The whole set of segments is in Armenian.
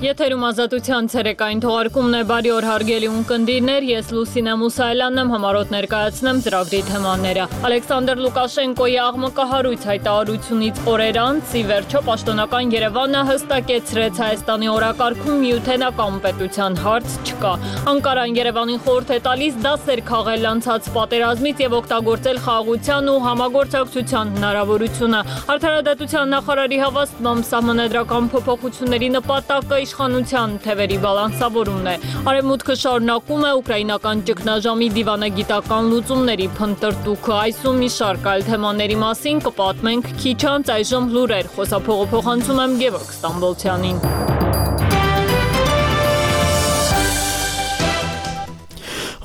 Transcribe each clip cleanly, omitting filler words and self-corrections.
Եթերում ազատության ցերեկային թողարկումն է, բարի օր հարգելի ունկնդիրներ, ես Լուսինե Մուսայելյանն եմ, համառոտ ներկայացնեմ ծրագրի թեմաները։ Ալեքսանդր Լուկաշենկոյի աղմկահարույց հայտարարությունից օրեր անց, ի վերջո պաշտոնական Երևանը հստակեցրեց Հայաստանի օրակարգում միութենական պետության հարց չկա։ Անկարան Երևանին խորհուրդ է տալիս դասեր քաղել անցած պատերազմից եւ օգտագործել խաղաղության ու համագործակցության հնարավորությունը։ Արդարադատության նախարարի հավաստմամբ սահմանադրական փոփոխությունների նպատակը իշխանության թևերի բալանսավորումն է։ Արևմուտքը շարունակում է ուկրաինական ճգնաժամի դիվանագիտական լուծումների փնտրտուքը։ Այսում մի շարք այլ թեմաների մասին կպատմենք քիչ անց, այժմ լուրեր, խոսափողը փոխանցում եմ Գևորգ Ստամբոլցյանին։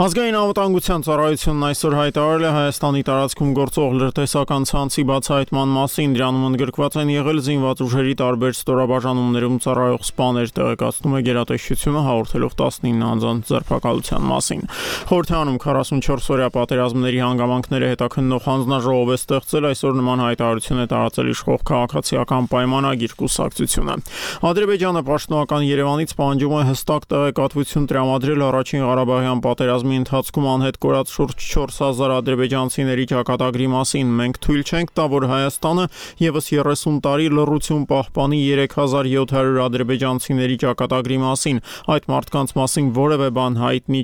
Ազգային անվտանգության ծառայությունն այսօր հայտարարել է Հայաստանի տարածքում գործող լրտեսական ցանցի բացահայտման մասին, դրանում ընդգրկված են եղել զինված ուժերի տարբեր ստորաբաժանումներում ծառայող սպաներ, տեղեկացնում է գերատեսչությունը, հաղորդելով 19 անձանց ձերբակալության մասին։ Խորհրդարանում 44-օրյա պատերազմների հանգամանքները հետաքննող հանձնաժողով է ստեղծել, այսօր նման հայտարարություն է տարածել իշխող քաղաքացիական պայմանագիր կուսակցությունը։ Ադրբեջանը պաշտոնական Երևանից պահանջում է հստակ տեղեկատվություն տրամադրել առաջին Ղարաբաղյան պատերազմի ընթացքում անհետ կորած շուրջ 4000 ադրբեջանցիների ճակատագրի մասին։ Մենք թույլ չենք տա, որ Հայաստանը եւս 30 տարի լռություն պահպանի 3700 ադրբեջանցիների ճակատագրի մասին։ Այդ մարդկանց մասին որևէ բան հայտնի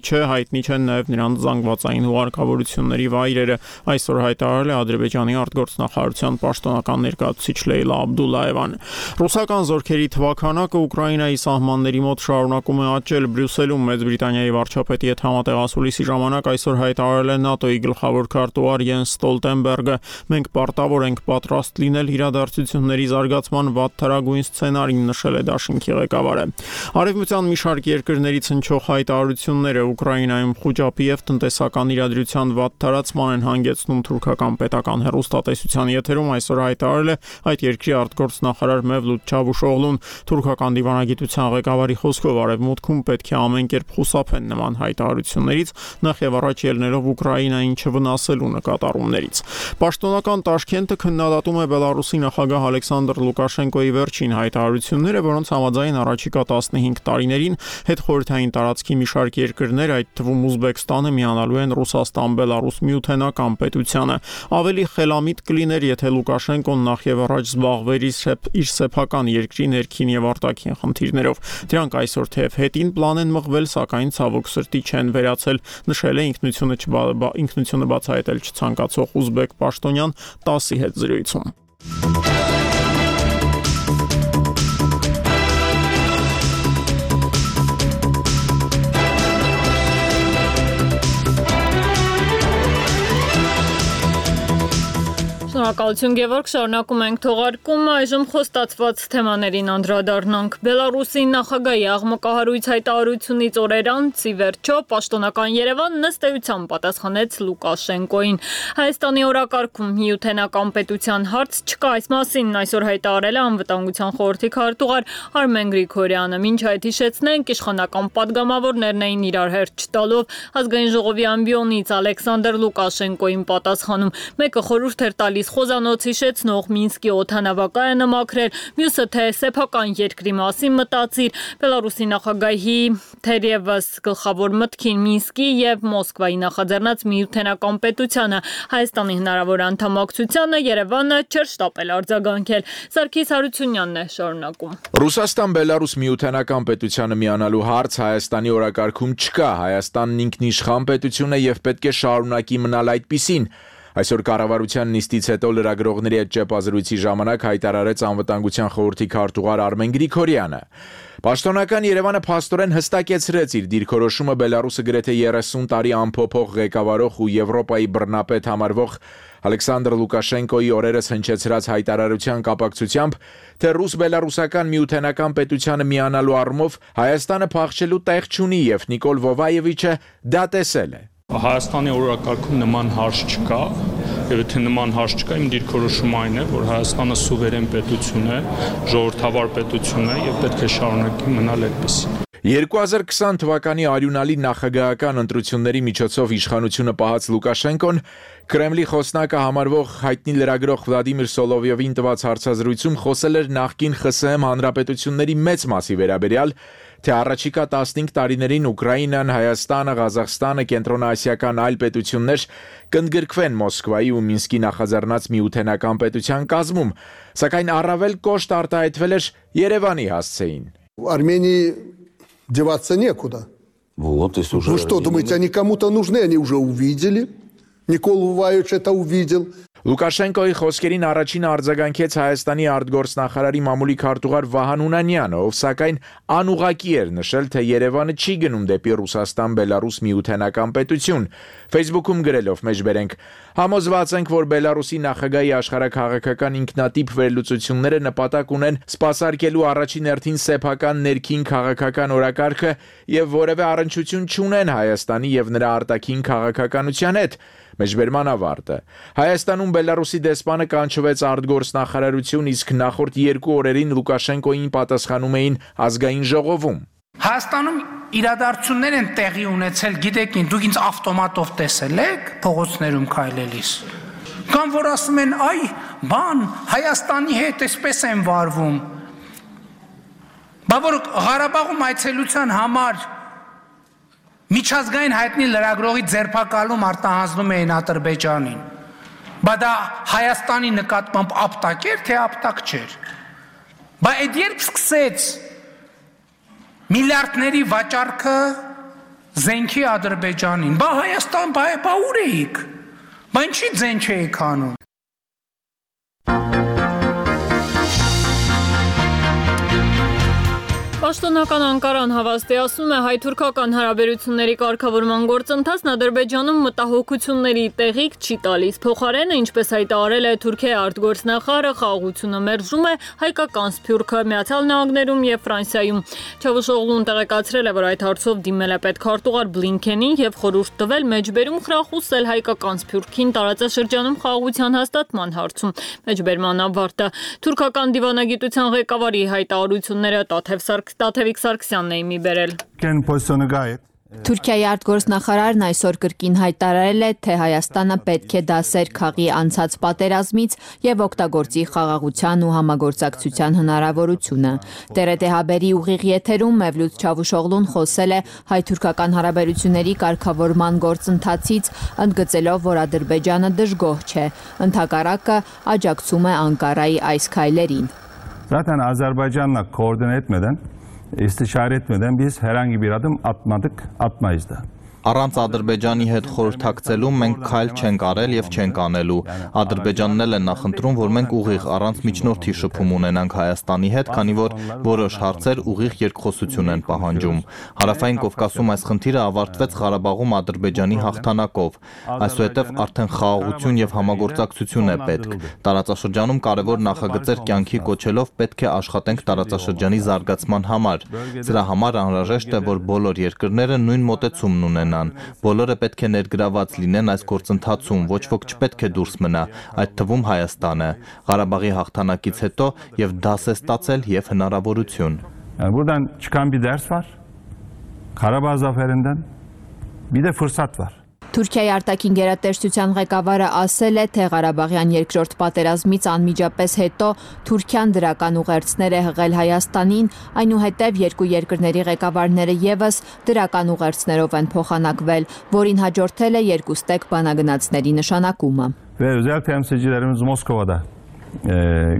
չեն նաեւ նրանց զանգվածային ուղարկավորությունների վայրերը, այսօր հայտարարել է Ադրբեջանի արտգործնախարարության պաշտոնական ներկայացուցիչ Լեյլա Աբդուլլաևան։ Ռուսական զորքերի թվաքանակը Ուկրաինայի սահմանների մոտ շարունակում է աճել։ Բրյուսելում Մեծ Բրիտանիայի վարչապետի հետ համատեղասուլիսի ժամանակ այսօր հայտարարել է ՆԱՏՕ-ի գլխավոր քարտուղար Յենս Ստոլտենբերգը։ Մենք պարտավոր ենք պատրաստ լինել իրադարձությունների զարգացման վատթարագույն սցենարին, նշել է դաշինքի ղեկավարը։ Արևմտյան մի շարք երկրներից հնչող հայտարարությունները Ուկրաինայում խոճապի եւ տնտեսական իրադրության վատթարացման են հանգեցնում թուրքական պետական հեռուստատեսության եթերում այսօր հայտարարել է այդ երկրի արտգործնախարար Մևլութ Չավուշօղլուն։ Թուրքական դիվանագիտության ղեկավարի խոսքով Արևմուտքում պետք է ամեն կերպ խուսափեն նման հայտարարություններից, նախ եւ առաջ ելնելով Ուկրաինային չվնասելու նկատառումներից։ Պաշտոնական Տաշկենտը քննադատում է Բելարուսի նախագահ Ալեքսանդր Լուկաշենկոյի վերջին հայտարարությունները, որոնց համաձայն առաջիկա 15 տարիներին հետխորհրդային տարածքի մի շարք երկրներ, այդ թվում Ուզբեկստանը, միանալու են Ռուսաստան-Բելարուս միութենական պետությանը։ Ավելի խելամիտ կլիներ, եթե Լուկաշենկոն նախ եւ առաջ զբաղվեր իր սեփական երկրի ներքին եւ արտաքին խնդիրներով։ Դրանք այսօր թեև հետին պլան են մղվել, սակայն ցավոք սրտի չեն վերացել, նշել է ինքնությունը բացահայտել չցանկացող ուզբեկ պաշտոնյան 10-ի հետ զրույցում։ Շնորհակալություն Գևորգ, շարունակում ենք թողարկումը, այժմ խոստացված թեմաներին անդրադառնանք։ Բելարուսի նախագահի աղմկահարույց հայտարարությունից օրեր անց, ի վերջո պաշտոնական Երևանն ըստ էության պատասխանեց Լուկաշենկոյին։ Հայաստանի օրակարգում միութենական պետության հարց չկա, այս մասին այսօր հայտարարել է անվտանգության խորհրդի քարտուղար Արմեն Գրիգորյանը։ Մինչ այդ հիշեցնենք, իշխանական падգամավորներն էին իրար հերթ չտալով ազգային ժողովի ամբիոնից Ալեքսանդր Լուկաշենկոյին պատասխանում։ Մեկը խորհուրդ էր տալիս խոզանոց հիշեցնող Մինսկի օդանավակայանը մաքրել, մյուսը թե սեփական երկրի մասին մտածիր։ Բելարուսի նախագահի թերևս գլխավոր մտքին Մինսկի եւ Մոսկվայի նախաձեռնած միութենական պետությանը, Հայաստանի հնարավոր անդամակցությանը Երևանը չէր շտապել արձագանքել։ Սարգիս Հարությունյանն է շարունակում։ Ռուսաստան-Բելարուս միութենական պետությանը միանալու հարց Հայաստանի օրակարգում չկա։ Հայաստանն ինքնիշխան պետություն է եւ պետք է շարունակի մնալ այդպիսին։ Այսօր կառավարության նիստից հետո լրագրողների հետ ճեպազրույցի ժամանակ հայտարարեց անվտանգության խորհրդի քարտուղար Արմեն Գրիգորյանը։ Պաշտոնական Երևանը փաստորեն հստակեցրեց իր դիրքորոշումը Բելարուսը գրեթե 30 տարի անփոփոխ ղեկավարող ու Եվրոպայի բռնապետ համարվող Ալեքսանդր Լուկաշենկոյի օրերս հնչեցրած հայտարարության կապակցությամբ, թե ռուս-բելարուսական միութենական պետությանը միանալու առումով Հայաստանը փախչելու տեղ չունի եւ Նիկոլ Վովայևիչը դա տեսել է։ Հայաստանի օրակարգում նման հարց չկա, եւ եթե նման հարց չկա, իմ դիրքորոշումը այն է, որ Հայաստանը սուվերեն պետություն է, ժողովրդավար պետություն է եւ պետք է շարունակի մնալ այդպես։ 2020 թվականի արյունալի նախագահական ընտրությունների միջոցով իշխանությունը պահած Լուկաշենկոն Կրեմլի խոսնակը համարվող հայտնի լրագրող Վլադիմիր Սոլովյովին տված հարցազրույցում խոսել էր նախկին ԽՍՀՄ հանրապետությունների մեծ մասի վերաբերյալ, թե առաջիկա 15 տարիներին Ուկրաինան, Հայաստանը, Ղազախստանը, կենտրոնաասիական այլ պետություններ կընդգրկվեն Մոսկվայի ու Մինսկի նախաձեռնած միութենական պետության կազմում, սակայն առավել կոշտ արտահայտվել էր Երևանի հասցեին. Армении деваться некуда. Вот, если уже... Вы что, думаете, они кому-то нужны? Они уже увидели. Никола Ваевич это увидел. Լուկաշենկոյի խոսքերին առաջին արձագանքեց Հայաստանի արտգործնախարարի մամուլի քարտուղար Վահան Ունանյանը, ով սակայն անուղղակի էր նշել, թե Երևանը չի գնում դեպի Ռուսաստան-Բելարուս միութենական պետություն։ Facebook-ում գրելով մեջբերենք. Համոզված ենք, որ Բելարուսի նախագահի աշխարհաքաղաքական ինքնատիպ վերլուծությունները նպատակ ունեն սպասարկելու առաջին հերթին սեփական ներքին քաղաքական օրակարգը եւ որևէ առնչություն չունեն Հայաստանի եւ նրա արտաքին քաղաքականության հետ։ Մեջբերման ավարտը։ Հայաստանում Բելարուսի դեսպանը կանչվեց արտգործնախարարություն, իսկ նախորդ 2 օրերին Լուկաշենկոին պատասխանում էին ազգային ժողովում։ Հայաստանում իրադարձություններ են տեղի ունեցել, գիտեք, դուք ինձ ավտոմատով տեսել եք փողոցներում քայլելիս։ Կամ որ ասում են, այ, բան, Հայաստանի հետ էսպես են վարվում։ Բա որ Ղարաբաղում այցելության համար միջազգային հայտնի լրագրողի ձերբակալում արտահանձնում էին Ադրբեջանին։ Բա դա Հայաստանի նկատմամբ ապտակ էր, թե ապտակ չէր։ Բա այդ երբ սկսեց միլիարդների վաճառքը զենքի Ադրբեջանին, բա Հայաստան, բա ուր էիք։ Բա ինչի ձեն չէիք անում։ Պաշտոնական Անկարան հավաստիացնում է հայ-թուրքական հարաբերությունների կարգավորման գործընթացն Ադրբեջանում մտահոգությունների տեղիք չի տալիս։ Փոխարենը, ինչպես հայտարարել է Թուրքիայի արտգործնախարարը, խաղաղությունը մերժում է հայկական Սփյուռքը Միացյալ Նահանգներում եւ Ֆրանսիայում։ Չավուշօղլուն տեղեկացրել է, որ այդ հարցով դիմել է պետքարտուղար Բլինքենին եւ խորհուրդ տվել մեջբերում խրախուսել հայկական Սփյուռքին տարածաշրջանում խաղաղության հաստատման հարցում։ Մեջբերման ավարտը թուրքական դիվանագիտության ղեկավարի հայտարարությունները Տաթևիկ Սարգսյանն է մի բերել։ Թուրքիայի արտգործնախարարն այսօր կրկին հայտարարել է, թե Հայաստանը պետք է դասեր քաղի անցած պատերազմից եւ օգտագործի խաղաղության ու համագործակցության հնարավորությունը։ TRT հաբերի ուղիղ եթերում Մևլութ Չավուշօղլուն խոսել է հայ-թուրքական հարաբերությունների կարգավորման գործընթացից, ընդգծելով, որ Ադրբեջանը դժգոհ չէ, ընդհակառակը աջակցում է Անկարայի այս քայլերին։ Zaten Azerbaycan'la koordine etmeden, istişare etmeden biz herhangi bir adım atmadık, atmayız da. Առանց Ադրբեջանի հետ խորհրդակցելու մենք քայլ չենք արել եւ չենք անելու։ Ադրբեջանն էլ է նախընտրում, որ մենք ուղիղ առանց միջնորդի շփում ունենանք Հայաստանի հետ, քանի որ որոշ հարցեր ուղիղ երկխոսություն են պահանջում։ Հարավային Կովկասում այս խնդիրը ավարտվեց Ղարաբաղում Ադրբեջանի հաղթանակով։ Այսուհետև արդեն խաղաղություն եւ համագործակցություն է պետք։ Տարածաշրջանում կարևոր նախագծեր կյանքի կոչելով պետք է աշխատենք տարածաշրջանի զարգացման համար։ Սրա համար անհրաժեշտ է, որ բոլոր երկրները նույն մոտեցումն ունենան։ Բոլորը պետք է ներգրաված լինեն այս գործընթացում, ոչ ոք չպետք է դուրս մնա, այդ թվում Հայաստանը։ Ղարաբաղի հաղթանակից հետո եւ դաս է ստացել եւ հնարավորություն։ Buradan çıkan bir ders var. Karabağ zaferinden bir de fırsat var. Թուրքիայի արտաքին գերատեսչության ղեկավարը ասել է, թե Ղարաբաղյան երկրորդ պատերազմից անմիջապես հետո Թուրքիան դրական ուղերձներ է հղել Հայաստանին, այնուհետև երկու երկրների ղեկավարները եւս դրական ուղերձներով են փոխանակվել, որին հաջորդել է երկուստեք բանագնացների նշանակումը։ Ve özel temsilcilerimiz Moskova'da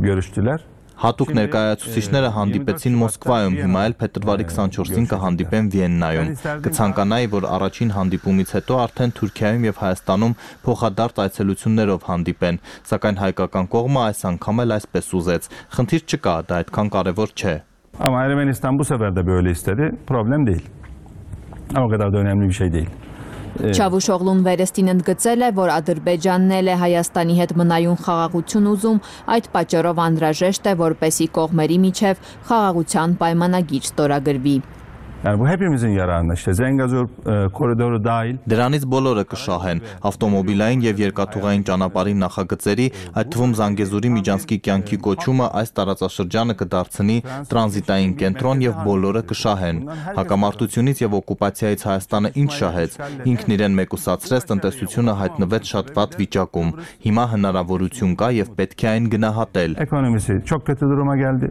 görüştüler. Հատուկ ներկայացուցիչները հանդիպեցին Մոսկվայում, հիմա էլ փետրվարի 24-ին կհանդիպեն Վիեննայում։ Կցանկանայի, որ առաջին հանդիպումից հետո արդեն Թուրքիայում եւ Հայաստանում փոխադարձ այցելություններով հանդիպեն, սակայն հայկական կողմը այս անգամ էլ այսպես ուզեց։ Խնդիր չկա, դա այդքան կարևոր չէ։ Ama Ermenistan bu sefer de böyle istedi. Problem değil. Ama o kadar da önemli bir şey değil. Չավուշօղլուն վերստին ընդգծել է, որ Ադրբեջանն էլ է Հայաստանի հետ մնայուն խաղաղություն ուզում, այդ պատճառով անհրաժեշտ է, որպեսզի կողմերի միջև խաղաղության պայմանագիր ստորագրվի։ Yani bu hepimizin yararına işte Zengezur koridoru dahil. Դրանից բոլորը կշահեն ավտոմոբիլային եւ երկաթուղային ճանապարհի նախագծերի, այդ թվում Զանգեզուրի միջանցքի կյանքի կոչումը այս տարածաշրջանը կդարձնի տրանզիտային կենտրոն եւ բոլորը կշահեն։ Հակամարտությունից եւ օկուպացիայից Հայաստանը ինչ շահեց, ինքն իրեն մեկուսացրեց, տնտեսությունը հայտնվեց շատ վատ վիճակում։ Հիմա հնարավորություն կա եւ պետք է այն գնահատել։ Ekonomisi çok kötü duruma geldi.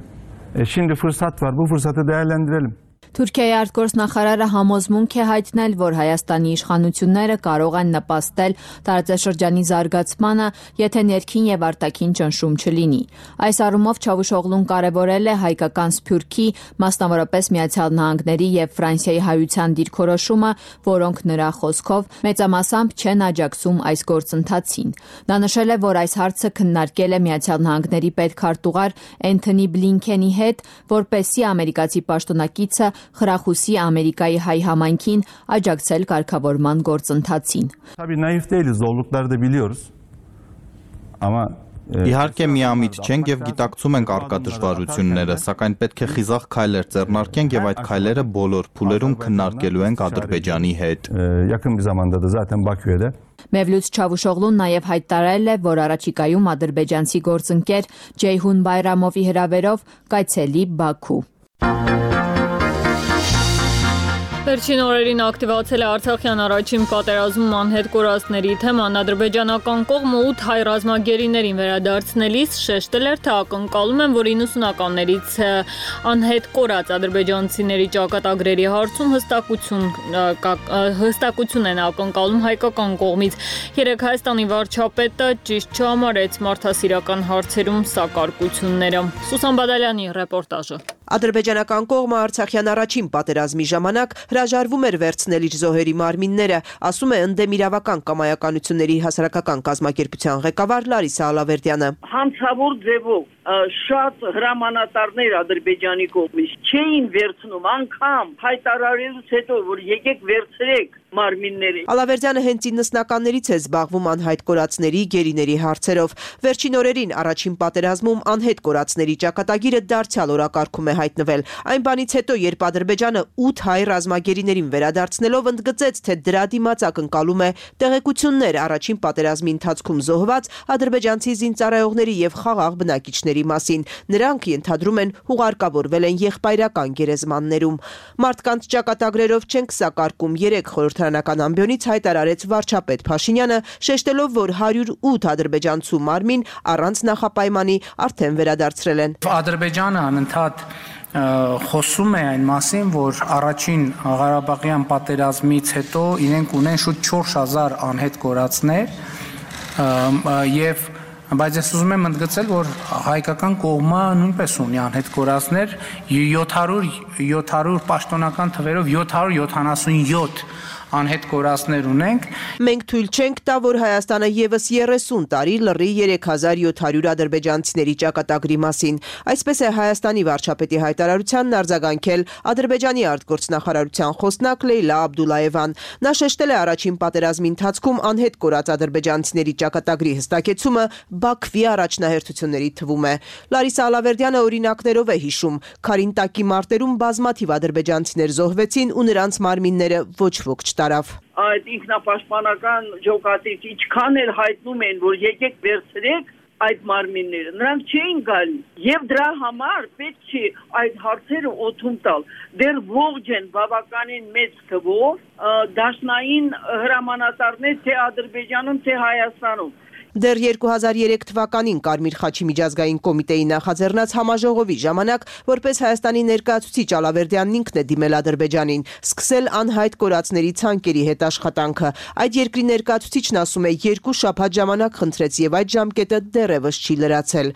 Şimdi fırsat var. Bu fırsatı değerlendirelim. Թուրքիայի արտգործնախարարը համոզմունք է հայտնել, որ Հայաստանի իշխանությունները կարող են նպաստել տարածաշրջանի զարգացմանը, եթե ներքին եւ արտաքին ճնշում չլինի։ Այս առումով Չավուշօղլուն կարևորել է հայկական Սփյուռքի, մասնավորապես Միացյալ Նահանգների եւ Ֆրանսիայի հայության դիրքորոշումը, որոնք նրա խոսքով մեծամասամբ չեն աջակցում այս գործընթացին։ Նա նշել է, որ այս հարցը քննարկել է Միացյալ Նահանգների պետքարտուղար Էնթոնի Բլինքենի հետ, որպեսզի ամերիկացի պաշտոնակիցը խրախուսի Ամերիկայի հայ համայնքին աջակցել կարգավորման գործընթացին։ Tabii naif değiliz, zorlukları da biliyoruz. Ama Իհարկե միամիտ չենք եւ գիտակցում ենք արկա դժվարությունները, սակայն պետք է խիզախ քայլեր ձեռնարկենք եւ այդ քայլերը բոլոր փուլերում քննարկելու ենք Ադրբեջանի հետ։ Yakın bir zamanda da zaten Bakü'de Mevlut Չավուշօղլուն նաև հայտարարել է, որ առաջիկայում ադրբեջանցի գործընկեր Ջեյհուն Բայրամովի հրավերով կայցելի Բաքու։ Վերջին օրերին ակտիվացել է Արցախյան առաջին պատերազմում անհետ կորածների թեման։ Ադրբեջանական կողմը 8 հայ ռազմագերիներին վերադարձնելիս շեշտել էր, թե ակնկալում են, որ 90-ականներից անհետ կորած ադրբեջանցիների ճակատագրերի հարցում հստակություն են ակնկալում հայկական կողմից։ Երեկ Հայաստանի վարչապետը ճիշտ չհամարեց մարդասիրական հարցերում սակարկությունները։ Սուսան Բադալյանի ռեպորտաժը։ Ադրբեջանական կողմը Արցախյան առաջին պատերազմի ժամանակ հրաժարվում էր վերցնել իր զոհերի մարմինները, ասում է ընդդեմ իրավական կամայականությունների հասարակական կազմակերպության ղեկավար Լարիսա Ալավերդյանը։ Հանցավոր ձևով շատ հրամանատարներ Ադրբեջանի կողմից չէին վերցնում, անգամ հայտարարելուց հետո, որ եկեք վերցրեք մարմինները։ Ալավերդյանը հենց 90-ականներից է զբաղվում անհայտ կորածների, գերիների հարցերով։ Վերջին օրերին առաջին պատերազմում անհետ կորածների ճակատագիրը դարձյալ օրակարգում է հայտնվել։ Այն բանից հետո, երբ Ադրբեջանը 8 հայ ռազմագերիներին վերադարձնելով ընդգծեց, թե դրա դիմաց ակնկալում է տեղեկություններ առաջին պատերազմի ընթացքում զոհված ադրբեջանցի զինծառայողների եւ խաղաղ բնակիչների մասին։ Նրանք ենթադրում են հուղարկավորվել են եղբայրական գերեզմաններում։ Մարդկանց ճակատագրերով չենք սակարկում, 3 խորհրդարանական ամբիոնից հայտարարեց վարչապետ Փաշինյանը, շեշտելով, որ 108 ադրբեջանցու մարմին առանց նախապայմանի արդեն վերադարձրել են։ Ադրբեջանը անընդհատ խոսում է այն մասին, որ առաջին Ղարաբաղյան պատերազմից հետո իրենք ունեն շուտ 4000 անհետ կորածներ եւ բայց ես ուզում եմ ընդգծել, որ հայկական կողմը նույնպես ունի անհետ կորածներ 700 պաշտոնական թվերով 777 անհետ կորածներ ունենք։ Մենք թույլ չենք տա, որ Հայաստանը եւս 30 տարի լռի 3700 ադրբեջանցիների ճակատագրի մասին։ Այսպես է Հայաստանի վարչապետի հայտարարությանն արձագանքել Ադրբեջանի արտգործնախարարության խոսնակ Լեյլա Աբդուլաևան։ Նա շեշտել է առաջին պատերազմի ընթացքում անհետ կորած ադրբեջանցիների ճակատագրի հստակեցումը Բաքվի առաջնահերթությունների թվում է։ Լարիսա Ալավերդյանը օրինակներով է հիշում, Քարինտակի մարտերում բազմաթիվ ադրբեջանցիներ զոհվեցին ու նրանց մարմինները ոչ ոք չտարավ։ Այդ ինքնապաշտպանական ջոկատից ինչքան էլ հայտնում են, որ եկեք վերցրեք այդ մարմինները, նրանք չէին գալի եւ դրա համար պետք չի այդ հարցերը օդում տալ։ Դեռ ողջ են բավականին մեծ թվով դաշնային հրամանատարներ թե Ադրբեջանում, թե Հայաստանում։ Դեռ 2003 թվականին Կարմիր խաչի միջազգային կոմիտեի նախաձեռնած համաժողովի ժամանակ, որպես Հայաստանի ներկայացուցիչ Ալավերդյանն ինքն է դիմել Ադրբեջանին, սկսել անհայտ կորածների ցանկերի հետ աշխատանքը։ Այդ երկրի ներկայացուցիչն ասում է, 2 շաբաթ ժամանակ խնդրեց եւ այդ ժամկետը դեռևս չի լրացել։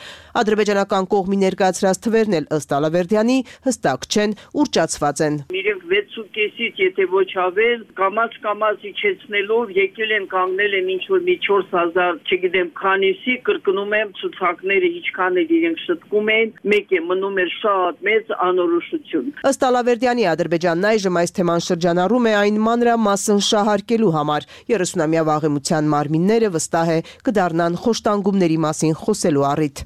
Ադրբեջանական կողմի ներկայացրած թվերն էլ ըստ Ալավերդյանի հստակ չեն, ուռճացված են։ Իրենք 6.5-ից եթե ոչ ավել, կամաց իջեցնելով եկել են կանգնել են ինչ որ մի 4000, չգիտեմ քանիսի, կրկնում եմ ցուցակները ինչքան էլ իրենք շտկում են, մեկ է մնում էր շատ մեծ անորոշություն։ Ըստ Ալավերդյանի Ադրբեջանն այժմ այս թեման շրջանառում է այն մանրամասն շահարկելու համար։ 30-ամյա վաղեմության մարմինները վստահ է կդառնան խոշտանգումների մասին խոսելու առիթ։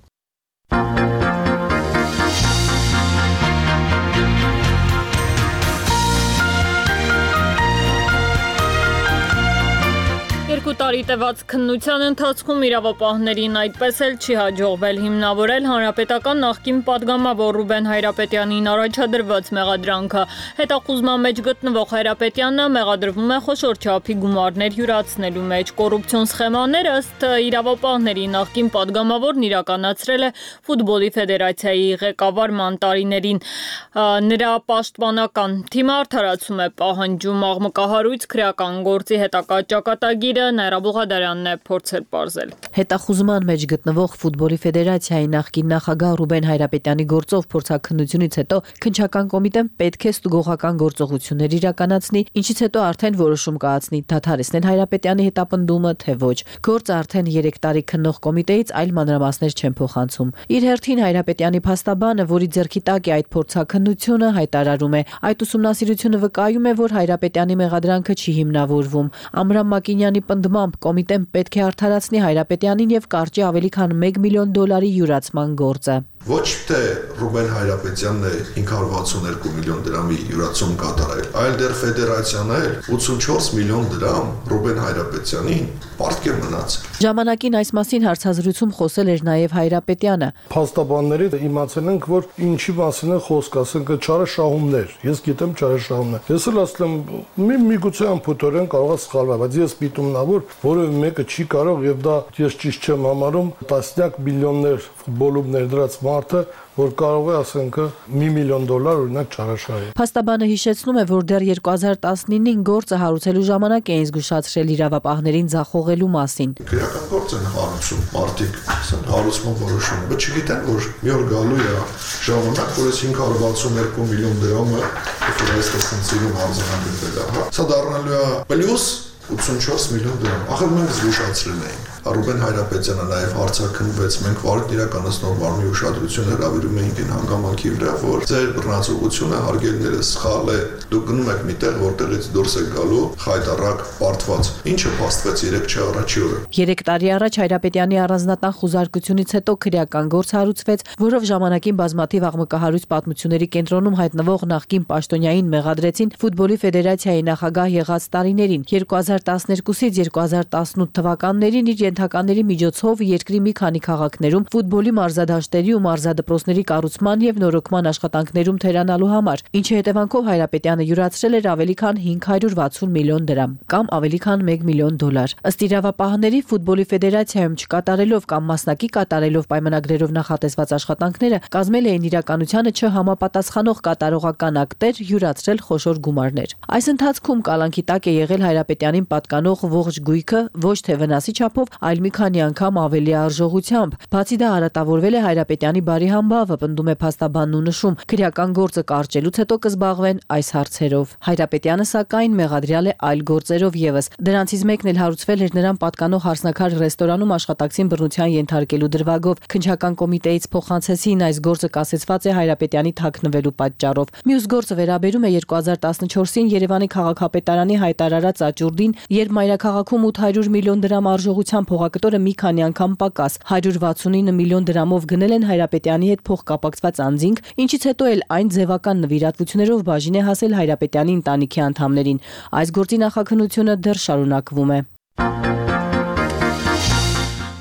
տարի տևած քննության ընթացքում իրավապահներին այդպես էլ չի հաջողվել հիմնավորել հանրապետական նախկին պատգամավոր Ռուբեն Հայրապետյանին առաջադրված մեղադրանքը։ Հետախուզման մեջ գտնվող Հայրապետյանը մեղադրվում է խոշոր չափի գումարներ յուրացնելու մեջ։ Կոռուպցիոն սխեմաներ ըստ իրավապահների նախկին պատգամավորն իրականացրել է ֆուտբոլի ֆեդերացիայի ղեկավարման տարիներին։ Նրա պաշտպանական թիմը արդարացում է պահանջում աղմկահարույց քրեական գործի հետագա ճակատագիրը Նաիրա Բուղադարյանն է փորձել պարզել։ Հետախուզման մեջ գտնվող ֆուտբոլի ֆեդերացիայի նախկին նախագահ Ռուբեն Հայրապետյանի գործով փորձաքննությունից հետո քննչական կոմիտեն պետք է ստուգողական գործողություններ իրականացնի, ինչից հետո արդեն որոշում կայացնի դադարեցնել Հայրապետյանի հետապնդումը, թե ոչ։ Գործը արդեն 3 տարի քննող կոմիտեից այլ մանրամասներ չեն փոխանցում։ Իր հերթին Հայրապետյանի փաստաբանը, որի ձեռքի տակ է այդ փորձաքննությունը, հայտարարում է, այդ ուսումնասիրությունը վկայում է, որ Հայրապետյանի մեղադրանքը չի հիմնավորվում։ Ամրամ Մակինյանի պնդմամբ կոմիտեն պետք է արդարացնի Հայրապետյանին եւ կարճի ավելի քան $1 միլիոն յուրացման գործը։ Ոչ թե Ռուբեն Հայրապետյանն է 562 միլիոն դրամի յուրացում կատարել, այլ դեռ ֆեդերացիան է 84 միլիոն դրամ Ռուբեն Հայրապետյանին պարտք է մնացել։ Ժամանակին այս մասին հարցազրույցում խոսել էր նաև Հայրապետյանը։ Փաստաբանների իմացել ենք, որ ինչի մասին է խոսքը, ասենք չարաշահումներ։ Ես գիտեմ չարաշահումներ։ Ես էլ ասեմ, միգուցե ամփոփորեն կարող է սխալվել, բայց ես պիտումնավոր որևէ մեկը չի կարող եւ դա ես ճիշտ չեմ համարում տասնյակ միլիոններ ֆուտբոլում ներդրած մարդը, որ կարող է ասենք $1 միլիոն օրինակ չարաշահի։ Փաստաբանը հիշեցնում է, որ դեռ 2019-ին գործը հարուցելու ժամանակ էին զգուշացրել իրավապահներին ձախողելու մասին։ Քրեական գործ են հարուցում, մարդիկ հարուցման որոշումը, բայց չգիտեն, որ մի օր գալու է ժամանակ, որ այս 562 միլիոն դրամը ֆինանսական ցանցերում արձանագրվել է։ Սա դառնալու է պլյուս 84 միլիոն դրամ։ Ախր մենք զգուշացրել էինք։ Ռուբեն Հայրապետյանը նաև հարցաքննվեց, մենք վարույթ իրականացնող մարմնի ուշադրություն հրավիրում էինք այն հանգամանքի վրա, որ ձեր բռնացողությունը հարգելները սխալ է, դուք գնում եք միտեղ, որտեղից դուրս եք գալու խայտառակ պարտված, ինչը փաստվեց 3 առաջի օրը։ 3 տարի առաջ Հայրապետյանի առանձնատան խուզարկությունից հետո քրեական գործ հարուցվեց, որով ժամանակին բազմաթիվ աղմկահարույց պատմությունների կենտրոնում հայտնվող նախկին պաշտոնյային մեղադրեցին ֆուտբոլի ֆեդերացիայի նախագահ եղած տարիներին 2012-ից 2018 թվականներին իր ենթականների միջոցով երկրի մի քանի քաղաքներում ֆուտբոլի մարզադաշտերի ու մարզադպրոցների կառուցման եւ նորոգման աշխատանքներում թերանալու համար, ինչի հետևանքով Հայրապետյանը յուրացրել էր ավելի քան 560 միլիոն դրամ, կամ ավելի քան $1 միլիոն։ Ըստ իրավապահների ֆուտբոլի ֆեդերացիայում չկատարելով կամ մասնակի կատարելով պայմանագրերով նախատեսված աշխատանքները կազմել էին իրականությանը չհամապատասխանող կատարողական ակտեր, յուրացրել խոշոր գումարներ։ Այս ընթացքում կալանքի տակ է եղել Հայրապետյանին պատկանող ողջ գույքը ոչ թե վնասի չափով, այլ մի քանի անգամ ավելի արժողությամբ։ Բացի դա արատավորվել է Հայրապետյանի բարի համբավը, պնդում է փաստաբանն ու նշում, քրեական գործը կարճելուց հետո կզբաղվեն այս հարցերով։ Հայրապետյանը սակայն մեղադրյալ է այլ գործերով եւս։ Դրանցից մեկն էլ հարուցվել էր նրան պատկանող Հարսնաքար ռեստորանում աշխատակցին բռնության ենթարկելու դրվագով։ Քննչական կոմիտեից փոխանցեցին այս գործը կասեցված է Հայրապետյանի թաքնվելու պատճառով։ Մյուս գործը վերաբերում է 2014-ին Երևանի քաղաքապետարանի հայտարարած աճուրդին, երբ մայրաքաղաքում 800 միլիոն դրամ արժողությամբ փողակտորը մի քանի անգամ պակաս 169 միլիոն դրամով գնել են Հայրապետյանի հետ փոխկապակցված անձինք, ինչից հետո էլ այն ձևական նվիրատվություններով բաժին է հասել Հայրապետյանի ընտանիքի անդամներին։ Այս գործի նախաքննությունը դեռ շարունակվում է։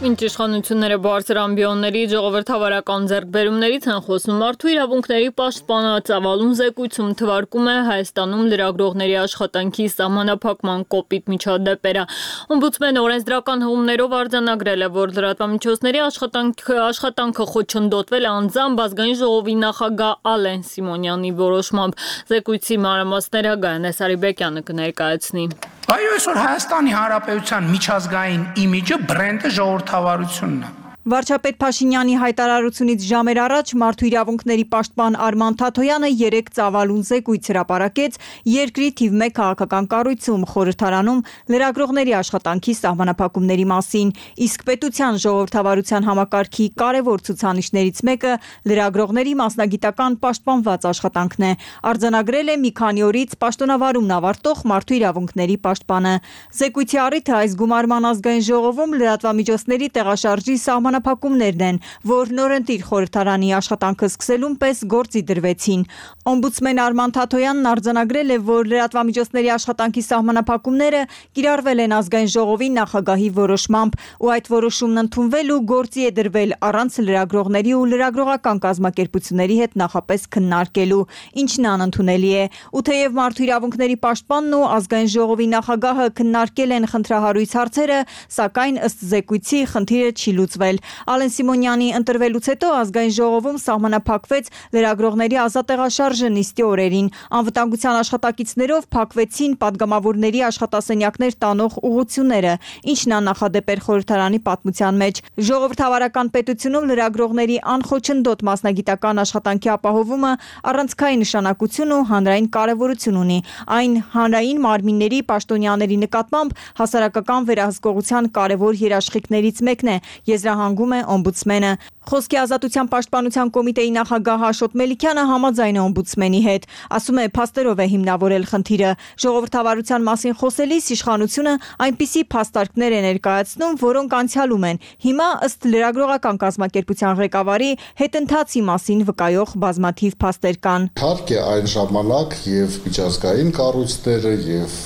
Ինչ իշխանությունները բարձր ամբիոնների ժողովրդավարական ձեռքբերումներից են խոսում, մարդու իրավունքների պաշտպանը ծավալուն զեկույցում թվարկում է Հայաստանում լրագրողների աշխատանքի սահմանափակման կոպիտ միջադեպերը։ Օմբուդսմենը օրենսդրական հղումներով արձանագրել է, որ լրատվամիջոցների աշխատանքը խոչընդոտվել է անձամբ ազգային ժողովի նախագահ Ալեն Սիմոնյանի որոշմամբ։ Զեկույցի մանրամասները Գայանե Սարիբեկյանը կներկայացնի։ Այո, այսօր Հայաստանի Հանրապետության միջազգային իմիջը բրենդը ժողովրդավարությունն է։ Վարչապետ Փաշինյանի հայտարարությունից ժամեր առաջ մարդու իրավունքների պաշտպան Արման Թաթոյանը 3 ծավալուն զեկույց հրապարակեց երկրի թիվ 1 քաղաքական կառույցում խորհրդարանում լրագրողների աշխատանքի սահմանափակումների մասին, իսկ պետության ժողովրդավարության համակարգի կարևոր ցուցանիշներից մեկը լրագրողների մասնագիտական պաշտպանված աշխատանքն է, արձանագրել է մի քանի օրից պաշտոնավարումն ավարտող մարդու իրավունքների պաշտպանը։ Զեկույցի առիթը այս գումարման ազգային ժողովում լրատվամիջոցների տեղաշարժի սահմանափակումներն են, որ նորընտիր խորհրդարանի աշխատանքը սկսելուն պես գործի դրվեցին։ Օմբուդսմեն Արման Թաթոյանն արձանագրել է, որ լրատվամիջոցների աշխատանքի սահմանափակումները կիրառվել են ազգային ժողովի նախագահի որոշմամբ, ու այդ որոշումն ընդունվել ու գործի է դրվել առանց լրագրողների ու լրագրողական կազմակերպությունների հետ նախապես քննարկելու, ինչն անընդունելի է։ Ու թեև մարդու իրավունքների պաշտպանն ու ազգային ժողովի նախագահը քննարկել են խնդրահարույց հարցերը, սակայն ըստ զեկույցի խնդիրը չի լուծվել։ Ալեն Սիմոնյանի ընտրվելուց հետո ազգային ժողովում սահմանափակվեց լրագրողների ազատեղաշարժը նիստի օրերին։ Անվտանգության աշխատակիցներով փակվեցին падգամավորների աշխատասենյակներ տանող ուղղությունները, ինչն աննախադեպ էր խորհրդարանի պատմության մեջ։ Ժողովրդավարական պետությունում լրագրողների անխոչնդոտ մասնագիտական աշխատանքի ապահովումը առանցքային նշանակություն ու հանրային կարևորություն ունի։ Այն հանրային մարմինների պաշտոնյաների նկատմամբ հասարակական վերահսկողության կարևոր երաշխիքներից մեկն է, եզրահանգում է օմբուդսմենը։ Խոսքի ազատության պաշտպանության կոմիտեի նախագահ Աշոտ Մելիքյանը համաձայն է օմբուդսմենի հետ, ասում է փաստերով է հիմնավորել խնդիրը։ Ժողովրդավարության մասին խոսելիս իշխանությունը այնպիսի փաստարկներ է ներկայացնում, որոնք անցյալում են։ Հիմա ըստ լրագրողական կազմակերպության ղեկավարի հետընթացի մասին վկայող բազմաթիվ փաստեր կան։ Իհարկե այն ժամանակ եւ միջազգային կառույցները եւ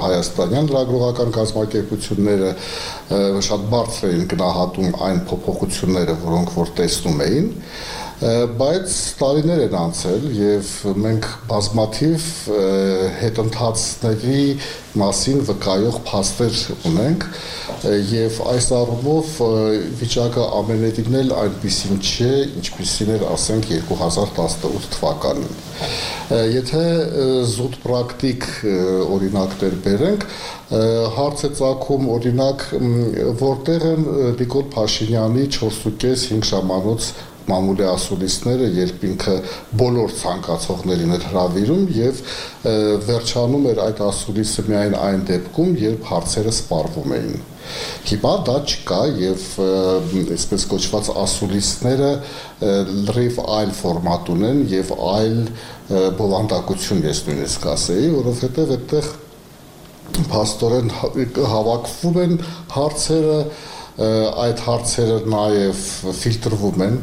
հայաստանյան լրագրողական կազմակերպությունները շատ բարձր էին գնահատում այն փոփոխությունները, որոնք որ տեսնում էին, բայց տարիներ են անցել եւ մենք բազմաթիվ հետընթացների մասին վկայող փաստեր ունենք եւ այս առումով վիճակը ամենևին էլ այնպիսին չէ, ինչպիսին էր, ասենք, 2018 թվականին։ Եթե զուտ պրակտիկ օրինակներ բերենք, հարց է ծագում օրինակ, որտեղ են Նիկոլ Փաշինյանի 4.5 ժամանոց մամուլի ասուլիսները, երբ ինքը բոլոր ցանկացողներին էր հրավիրում եւ վերջանում էր այդ ասուլիսը միայն այն դեպքում, երբ հարցերը սպառվում էին։ Հիմա դա չկա եւ այսպես կոչված ասուլիսները լրիվ այլ ֆորմատ ունեն եւ այլ բովանդակություն ես նույնիսկ ասեի, որովհետեւ այդտեղ փաստորեն հավաքվում են հարցերը, այդ հարցերը նաեւ ֆիլտրվում են։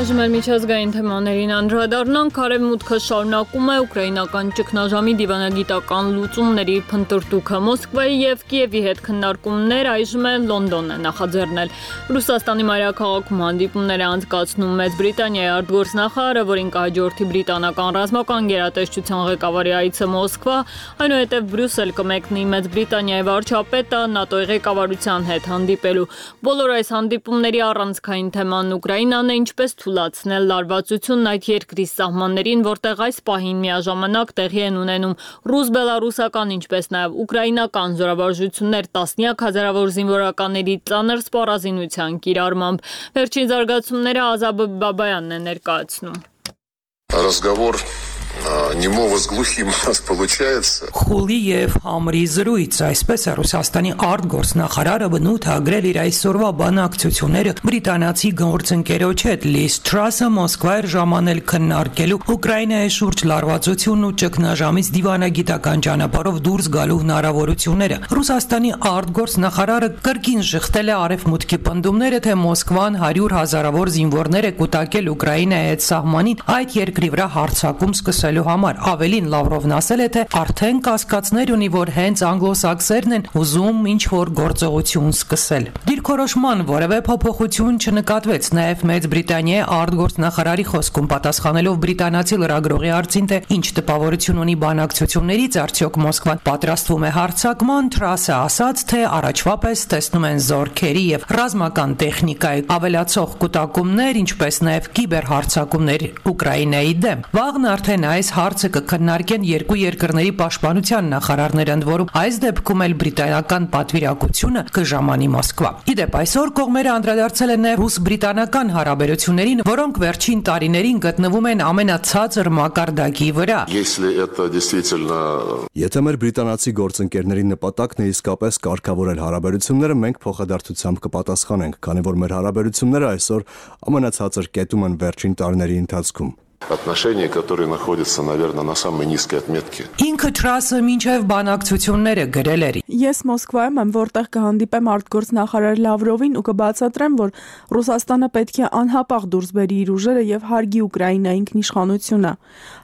Այժմ միջազգային թեմաներին անդրադառնանք, Արևմուտքը շարունակում է ուկրաինական ճգնաժամի դիվանագիտական լուծումների փնտրտուքը։ Մոսկվայի եւ Կիևի հետ քննարկումներ այժմ Լոնդոնն է նախաձեռնել։ Ռուսաստանի մայրաքաղաքում հանդիպումներ է անցկացնում Մեծ Բրիտանիայի արտգործնախարարը, որին կհաջորդի բրիտանական ռազմական գերատեսչության ղեկավարի այցը Մոսկվա, այնուհետև Բրյուսել կմեկնի Մեծ Բրիտանիայի վարչապետը ՆԱՏՕ-ի ղեկավարության հետ հանդիպելու։ Բոլոր այս հանդիպումների առանցքային թեման Ուկրաինան է, ինչպես թույլատրել լարվածությունն այդ երկրի սահմաններին, որտեղ այս պահին միաժամանակ տեղի են ունենում ռուս-բելարուսական, ինչպես նաև ուկրաինական զորավարժություններ տասնյակ հազարավոր զինվորականների ծանր սպառազինության կիրառմամբ։ Վերջին զարգացումները Ազաբ Բաբայանն է ներկայացնում։ Разговор немого с глухим у нас получается. Խուլի եւ համրի զրույց, այսպես է Ռուսաստանի արտգործնախարարը բնութագրել իր այսօրվա բանակցությունները բրիտանացի գործընկերոջ հետ։ Լիզ Թրասը Մոսկվա էր ժամանել քննարկելու Ուկրաինայի շուրջ լարվածությունն ու ճգնաժամից դիվանագիտական ճանապարհով դուրս գալու հնարավորությունները։ Ռուսաստանի արտգործնախարարը կրկին շղթել է արևմուտքի պնդումները, թե Մոսկվան 100,000-ավոր զինվորներ է կուտակել Ուկրաինայի հետ սահմանին այդ երկրի վրա հարձակում սկսելու համար։ Ավելին Լավրովն ասել է, թե արդեն կասկածներ ունի, որ հենց անգլոսաքսերն են ուզում ինչ-որ գործողություն սկսել։ Դիրքորոշման որևէ փոփոխություն չնկատվեց, նաև Մեծ Բրիտանիայի արտգործնախարարի խոսքում պատասխանելով բրիտանացի լրագրողի հարցին, թե ինչ տպավորություն ունի բանակցություններից, արդյոք Մոսկվան պատրաստվում է հարձակման, Թրասը ասաց, թե առաջվա պես տեսնում են զորքերի եւ ռազմական տեխնիկայի ավելացող կուտակումներ, ինչպես նաև կիբերհարձակումներ Ուկրաինայի դեմ։ Վաղն արդեն այս հարցը կքննարկեն երկու երկրների պաշտպանության նախարարները, ընդ որում այս դեպքում էլ բրիտանական պատվիրակությունը կժամանի Մոսկվա։ Իդեպ այսօր կողմերը անդրադարձել են նաև ռուս-բրիտանական հարաբերություններին, որոնք վերջին տարիներին գտնվում են ամենացածր մակարդակի վրա։ Եթե մեր բրիտանացի գործընկերների նպատակն է իսկապես կարգավորել հարաբերությունները, մենք փոխադարձությամբ կպատասխանենք, քանի որ մեր հարաբերությունները այսօր ամենացածր կետում են վերջին տարիների ընթացքում։ Отношения, которые находятся, наверное, на самой низкой отметке. Ինքը Թրասը մինչև բանակցությունները գրել էր. Ես Մոսկվայում եմ, որտեղ կհանդիպեմ արտգործ նախարար Լավրովին ու կբացատրեմ, որ Ռուսաստանը պետք է անհապաղ դուրս բերի իր ուժերը եւ հարգի Ուկրաինայի ինքնիշխանությունը։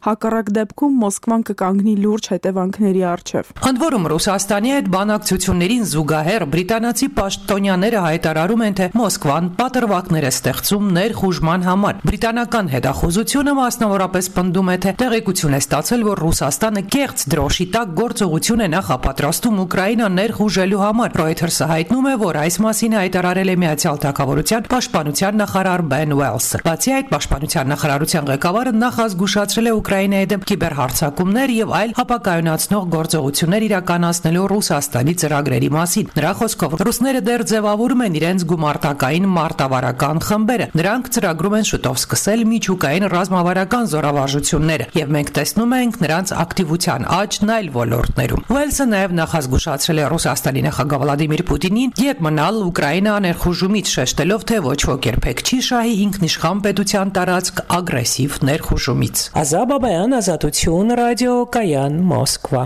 Հակառակ դեպքում Մոսկվան կկանգնի լուրջ հետևանքների առջև։ Ընդ որում Ռուսաստանի հետ բանակցություններին զուգահեռ բրիտանացի պաշտոնյաները հայտարարում են, թե Մոսկվան պատրվակներ է ստեղծում ներխուժման համար։ Բրիտանական հետախուզությունը մասնավորապես պնդում է, թե տեղեկություն է ստացել, որ Ռուսաստանը կեղծ դրոշի տակ գործողություն է նախապատրաստում Ուկրաինան ներխուժելու համար։ Reuters-ը հայտնում է, որ այս մասին հայտարարել է Միացյալ Թագավորության պաշտպանության նախարար Բեն Ուելսը։ Բացի այդ, պաշտպանության նախարարության ղեկավարը նախազգուշացրել է Ուկրաինայի դեմ կիբերհարձակումներ եւ այլ ապակայունացնող գործողություններ իրականացնելու Ռուսաստանի ծրագրերի մասին։ Նրա խոսքով ռուսները դեռ ձևավորում են իրենց գումարտակային մարտավարական խմբերը։ Նրանք ծրագրում են շուտով սկսել միջուկային ռազմավարական զորավարժությունները եւ մենք տեսնում ենք նրանց ակտիվության աճն այլ ոլորտներում։ Ուելսը նաեւ նախազգուշացրել է Ռուսաստանի նախագահ Վլադիմիր Պուտինին յետ մնալ Ուկրաինա ներխուժումից, շեշտելով, թե ոչ ոք երբեք չի շահի ինքնիշխան պետության տարածք ագրեսիվ ներխուժումից։ Ազա Բաբայան, Ազատություն, ռադիո Կայան, Մոսկվա։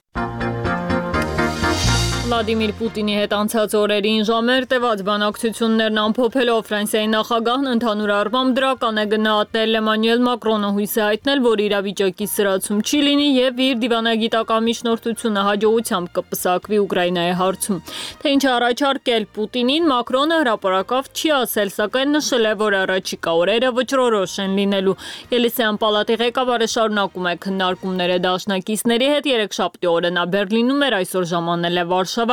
Վլադիմիր Պուտինի հետ անցած օրերին ժամեր տևած բանակցություններն ամփոփելով Ֆրանսիայի նախագահն ընդհանուր առմամբ դրական է գնահատել Էմանուել Մակրոնը հույս է հայտնել, որ իրավիճակի սրացում չի լինի եւ իր դիվանագիտական միջնորդությունը հաջողությամբ կպսակվի Ուկրաինայի հարցում։ Թե ինչ առաջարկել Պուտինին, Մակրոնը հրապարակավ չի ասել, սակայն նշել է, որ առաջիկա օրերը վճռորոշ են լինելու։ Ելիսեյան պալատի ղեկավարը շարունակում է քննարկումները դաշնակիցների հետ։ Երեքշաբթի օրը նա Բերլինում էր, այսօր ժամանել է Վարշավա։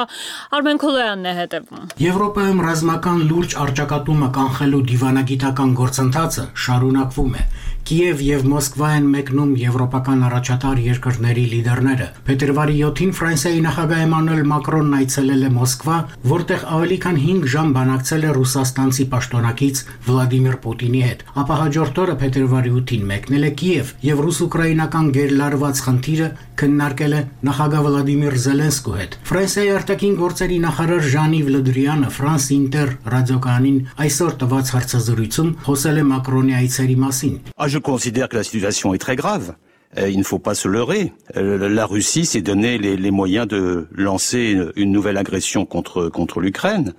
Արմեն Քոլոյանն է հետևում։ Եվրոպայում ռազմական լուրջ առճակատումը կանխելու դիվանագիտական գործընթացը շարունակվում է։ Կիև եւ Մոսկվա են մեկնում եվրոպական առաջատար երկրների լիդերները։ Փետրվարի 7-ին Ֆրանսիայի նախագահ Էմանուել Մակրոնն այցելել է Մոսկվա, որտեղ ավելի քան 5 ժամ բանակցել է ռուսաստանցի պաշտոնակից Վլադիմիր Պուտինի հետ։ Ապա հաջորդ օրը փետրվարի 8-ին մեկնել է Կիև եւ ռուս-ուկրաինական գերլարված խնդիրը քննարկել է նախագահ Վլադիմիր Զելենսկու հետ։ Ֆրանսիայի արտաքին գործերի նախարար Ժան-Իվ Լը Դրիանը France Inter ռադիոկայանին այսօր տված հարցազրույցում խոսել է Մակրոնի այցերի մասին։ Je considère que la situation est très grave. Il ne faut pas se leurrer. La Russie s'est donné les moyens de lancer une nouvelle agression contre l'Ukraine.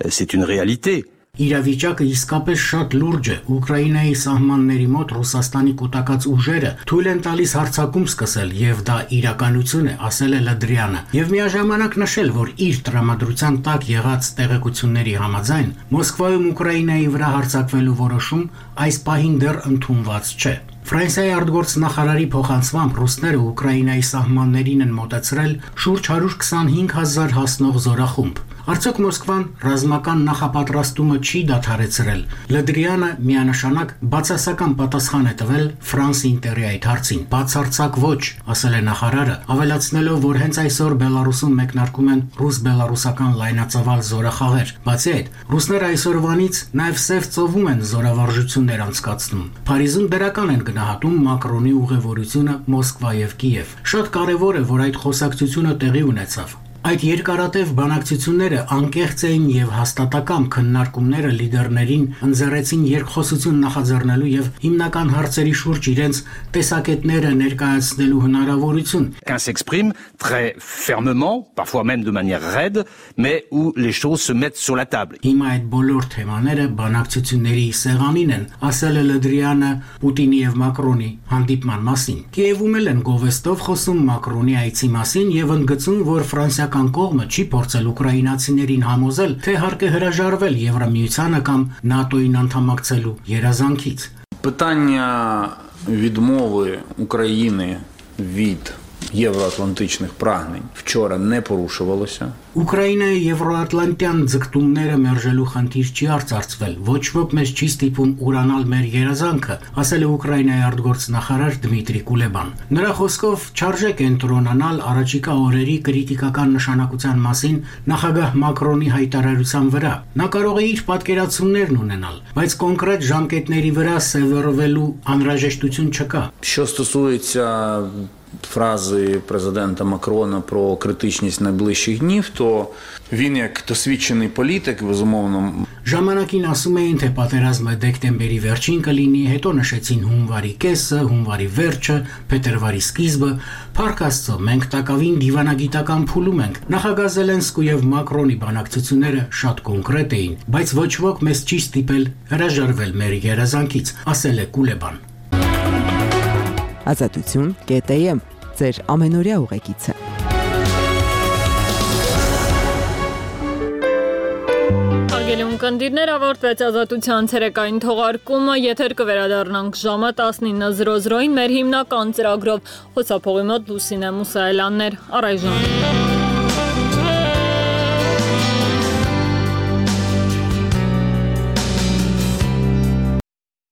C'est une réalité. Իրավիճակը իսկապես շատ լուրջ է։ Ուկրաինայի սահմանների մոտ Ռուսաստանի կուտակած ուժերը թույլ են տալիս հարձակում սկսել եւ դա իրականություն է, ասել է Լդրյանը։ Եվ միաժամանակ նշել, որ իր տրամադրության տակ եղած տեղեկությունների համաձայն Մոսկվայում Ուկրաինայի վրա հարձակվելու որոշում այս պահին դեռ ընդունված չէ։ Ֆրանսիայի արտգործ նախարարի փոխանցմամբ ռուսները Ուկրաինայի սահմաններին են մոտեցրել շուրջ 125,000 հասնող զորախումբ։ Արդյոք Մոսկվան ռազմական նախապատրաստումը չի դադարեցրել։ Լդրյանը միանշանակ բացասական պատասխան է տվել France Inter-ի այդ հարցին։ Բացարձակ ոչ, ասել է նախարարը, ավելացնելով, որ հենց այսօր Բելարուսում մեկնարկում են ռուս-բելարուսական լայնածավալ զորախաղեր։ Բացի այդ, ռուսները այսօրվանից նաև Սև ծովում են զորավարժություններ անցկացնում։ Փարիզում դրական են գնահատում Մակրոնի ուղևորությունը Մոսկվա եւ Կիև։ Շատ կարևոր է, որ այդ խոսակցությունը տեղի ունեցավ։ Այդ երկարատև բանակցությունները անկեղծ էին եւ հաստատակամ քննարկումները լիդերներին ընձեռեցին երկխոսություն նախաձեռնելու եւ հիմնական հարցերի շուրջ իրենց տեսակետները ներկայացնելու հնարավորություն։ Qu'un s'exprime très fermement, parfois même de manière raide, mais où les choses se mettent sur la table. Հիմա այդ բոլոր թեմաները բանակցությունների սեղանին են, ասել է Լդրյանը Պուտինի եւ Մակրոնի հանդիպման մասին։ Կիևում են գովեստով խոսում Մակրոնի այցի մասին եւ ընդգծում, որ Ֆրանսիա կողմը չի փորձել ուկրաինացիներին համոզել, թե հարկ է հրաժարվել Եվրամիությանը կամ ՆԱՏՕ-ին անդամակցելու երազանքից։ Питання відмови України від євроатлантичних прагнень вчора не порушувалося. Ուկրաինայի եվրոատլանտյան ձգտումները մերժելու խնդիր չի արծարծվել։ Ոչ ոք մեզ չի ստիպում ուրանալ մեր երազանքը, ասել է Ուկրաինայի արտգործնախարար Դմիտրի Կուլեբան։ Նրա խոսքով չարժե կենտրոնանալ առաջիկա օրերի կրիտիկական նշանակության մասին նախագահ Մակրոնի հայտարարության վրա։ Նա կարող է իր պատկերացումներն ունենալ, բայց կոնկրետ ժամկետների վրա սևեռվելու անհրաժեշտություն չկա։ Що стосується фрази президента Макрона про критичність найближчих днів, то він як досвідчений політик, безумовно, Ժամանակին ասում էին, թե պատերազմը դեկտեմբերի վերջին կլինի, հետո նշեցին հունվարի կեսը, հունվարի վերջը, փետրվարի սկիզբը։ Փառք Աստծո, մենք տակավին դիվանագիտական փուլում ենք։ Նախագահ Զելենսկու եւ Մակրոնի բանակցությունները շատ կոնկրետ էին, բայց ոչ ոք մեզ չի ստիպել հրաժարվել մեր երազանքից, ասել է Կուլեբան։ Ազատություն.am ձեր ամենօրյա ուղեկիցը։ Հարգելի ունկնդիրներ, ավարտվեց Ազատության ցերեկային թողարկումը, եթեր կվերադառնանք ժամը 19:00-ին մեր հիմնական ծրագրով։ Խոսափողի մոտ Լուսինե Մուսայելյաններ, առայժմ։